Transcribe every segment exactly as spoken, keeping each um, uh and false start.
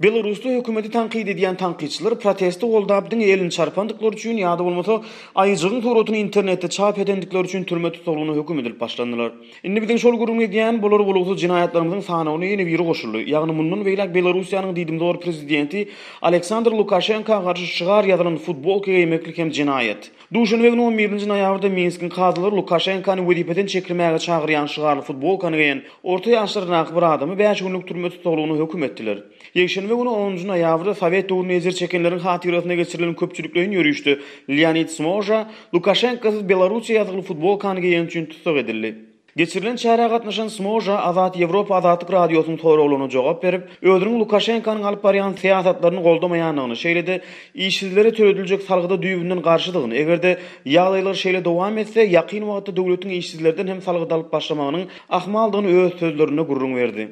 Belarusda hökümeti tankyt edýän tankytçylar protesti goldap diňe elini çarpandyklary üçin ýa-da bolmasa aýyjygyň suratyny internetde çap edendikleri üçin türme tussaglygyna höküm edilip başlandylar. Indi biziň şol gürrüň edýän bolar bolgusyz jenaýatlarymyzyň sanawyna ýene biri goşuldy. Ýagny mundan beýläk Belarussiýanyň diýdimzor prezidenti Aleksandr Lukaşenka garşy şygar ýazylan futbolka geýmeklik hem jenaýat. Duşenbe güni on birinji noýabrda Minskiň kazylary Lukaşenkany wezipeden çekilmäge çagyrýan şygarly futbolkany geýen orta ýaşlaryndaky bir adamy bäş günlük türme tussaglygyna höküm etdiler. Ýekşenbe güni onunjy noýabrda Sowet döwründe ejir çekenleriň hatyrasyna geçirilen köpçülikleýin ýörişde Leonid Smoža Lukaşenkasyz Belarussiýa ýazgyly futbolkany geýeni üçin tussag edildi. Geçirilen çärä gatnaşan Smoža Azat Ýewropa Azatlyk Radiosynyň soraglaryna jogap berip, özüniň Lukaşenkanyň alyp barýan syýasatlaryny goldamaýandygyny, şeýle-de işsizlere tölediljek salgyda düýbünden garşydygyny, eger-de ýagdaýlar şeýle dowam etse, ýakyn wagtda döwletiň işsizlerden hem salgyt alyp başlamagynyň ahmaldygyny öz sözlerinde gürrüň berdi.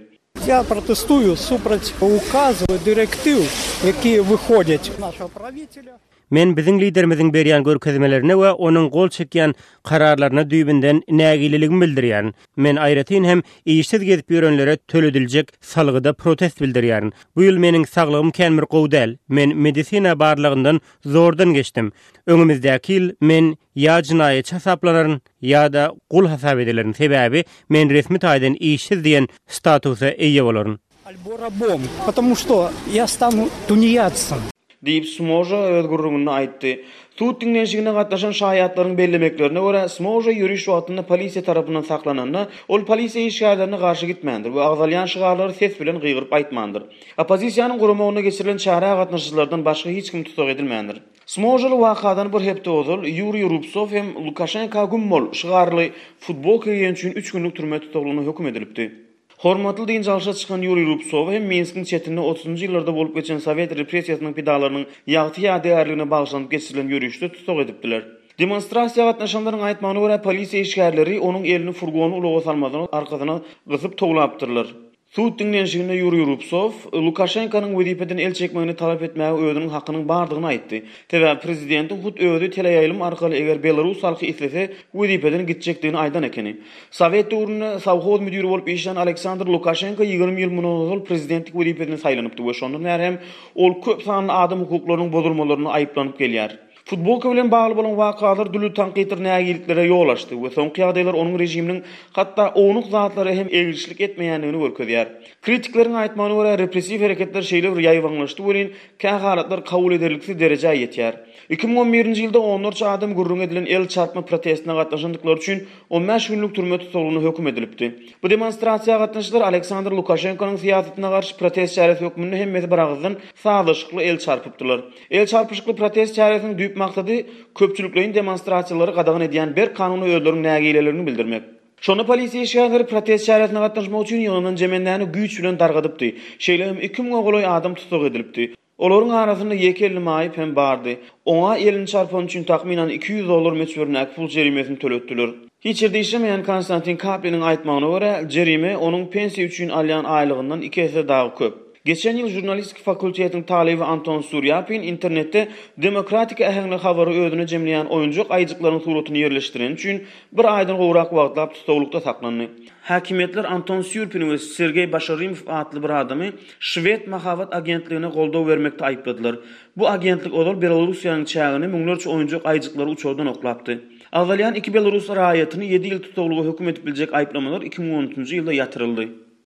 Я protestuю супраць указу дырэктыў, якія выходзяць нашего правителя. Men biziň liderimiziň berýän görkezmelerine we onuň gol çekýän kararlaryna düýbünden nägileligimi bildirýän. Men aýratyn hem işsiz gezip ýörenlere tölediljek salgyda protest bildirýän. Bu ýyl meniň saglygym kän bir gowy däl. Men medisina barlygyndan zordan geçdim. Öňümizdäki ýyl men ýa jenaýatçy hasaplanaryn ýa-da gul hasap edilerin. Sebäbi men resmi taýdan işsiz diýen statusa eýe bolaryn. Альбо рабом, потому что я стану тунеядцем. Diýip Smoža öz gürrüňini aýtdy. Sud diňlenişigine gatnaşan şaýatlaryň bellemeklerine görä Smoža ýöriş wagtynda polisiýa tarapyndan saklananda, ol polisiýa işgärlerine garşy gitmändir we agzalýan şygarlary ses bilen gygyryp aýtmandyr. Oppozisiýanyň guramagyna geçirilen çärä gatnaşyjylardan başga hiç kim tussag edilmändir. Smožaly wakadan bir hepde ozal Ýuriý Rubsow hem Lukaşenka güm bol şygarly futbolka geýen üçin üç günlük türme tussaglygyna höküm edilipdi. Hormatly dynç alşa çykan Ýuriý Rubsow hem Minskiň çetinde otuzunjy ýyllarda bolup geçen Sowet repressiýasynyň pidalarynyň ýagty ýadygärligine bagyşlanyp geçirilen ýörişde tussag edipdiler. Demonstrasiýa gatnaşanlaryň aýtmagyna görä polisiýa işgärleri onuň elini furgony ulaga salmadan arkasyna gysyp towlapdyrlar. Sud diňlenişiginde Ýuriý Rubsow Lukaşenkanyň wezipeden el çekmegini talap etmäge özüniň hakynyň bardygyny aýtdy. Sebäbi prezidentiň hut özi teleýaýlym arkaly eger Belarus halky islese wezipeden gitjekdigini aýdan ekeni. Sowet döwründe sowhoz müdiri bolup işlän Aleksandr Lukaşenko ýigrimi ýyl mundan ozal prezidentlik wezipesine saýlanypdy we şondan bäri hem ol köp sanly adam hukuklarynyň bozulmalaryna aýyplanyp gelýär. Futbolka bilen bagly bolan wakalar dürli tankytdyr nägilliklere ýol açdy we soňky ýagdaýlar onuň režiminiň hatda ownuk zatlara hem eglişlik etmeýändigini görkezýär. Kritikleriň aýtmagyna görä repressiw hereketler şeýle bir ýaýbaňlaşdy welin kähalatlar kabul ederliksiz derejä ýetýär. Iki müň on birinji ýylda onlarça adam gürrüň edilen el çarpma protestine gatnaşandyklary üçin on bäş günlük türme tussaglygyna höküm edilipdi. Bu demonstrasiýa gatnaşyjylar Aleksandr Lukaşenkonyň syýasatyna garşy protest çäresi hökmünde hemmesi bir agyzdan sazlaşykly el çarpypdylar. El çarpyşykly protest çäresiniň düýp maksady köpçülikleýin demonstrasiýalary gadagan edýän berk kanuny özleriniň nägilelerini bildirmek. Şonda polisiýa işgärleri protest çäresine gatnaşmak üçin ýygnanan jemendäni güýç bilen dargadypdy. Şeýle hem iki müňe golaý adam tussag edilipdi. Olaryň arasynda ýeke elli maýyp hem bardy. Oňa elini çarpan üçin takmynan iki ýüz dollar möçberindäki pul jerimesini töletdiler. Hiç ýerde işlemeýän Konstantin Kapliniň aýtmagyna görä, jerime onuň pensiýa üçin alýan aýlygyndan iki esse dagy köp. Geçen ýyl žurnalistik fakultetiniň talyby Anton Surýapin internetde demokratik äheňli habary özüne jemleýän oýunjak aýjyklaryň suratyny ýerleşdiren üçin bir aýdan gowrak wagtlap tussaglyk saklandy. Häkimiýetler Anton Surýapini we Sergeý Başarimow atly bir adamy Şwed mahabat agentligine goldaw bermekde aýypladylar. Bu agentlik ozal Belarussiýanyň çägine müňlerçe oýunjak aýjyklary uçardan oklapdy. Agzalýan iki Belarus raýatyny ýedi ýyl tussaglyga höküm edip biljek aýyplamalar iki müň on üçünji ýylda ýatyryldy.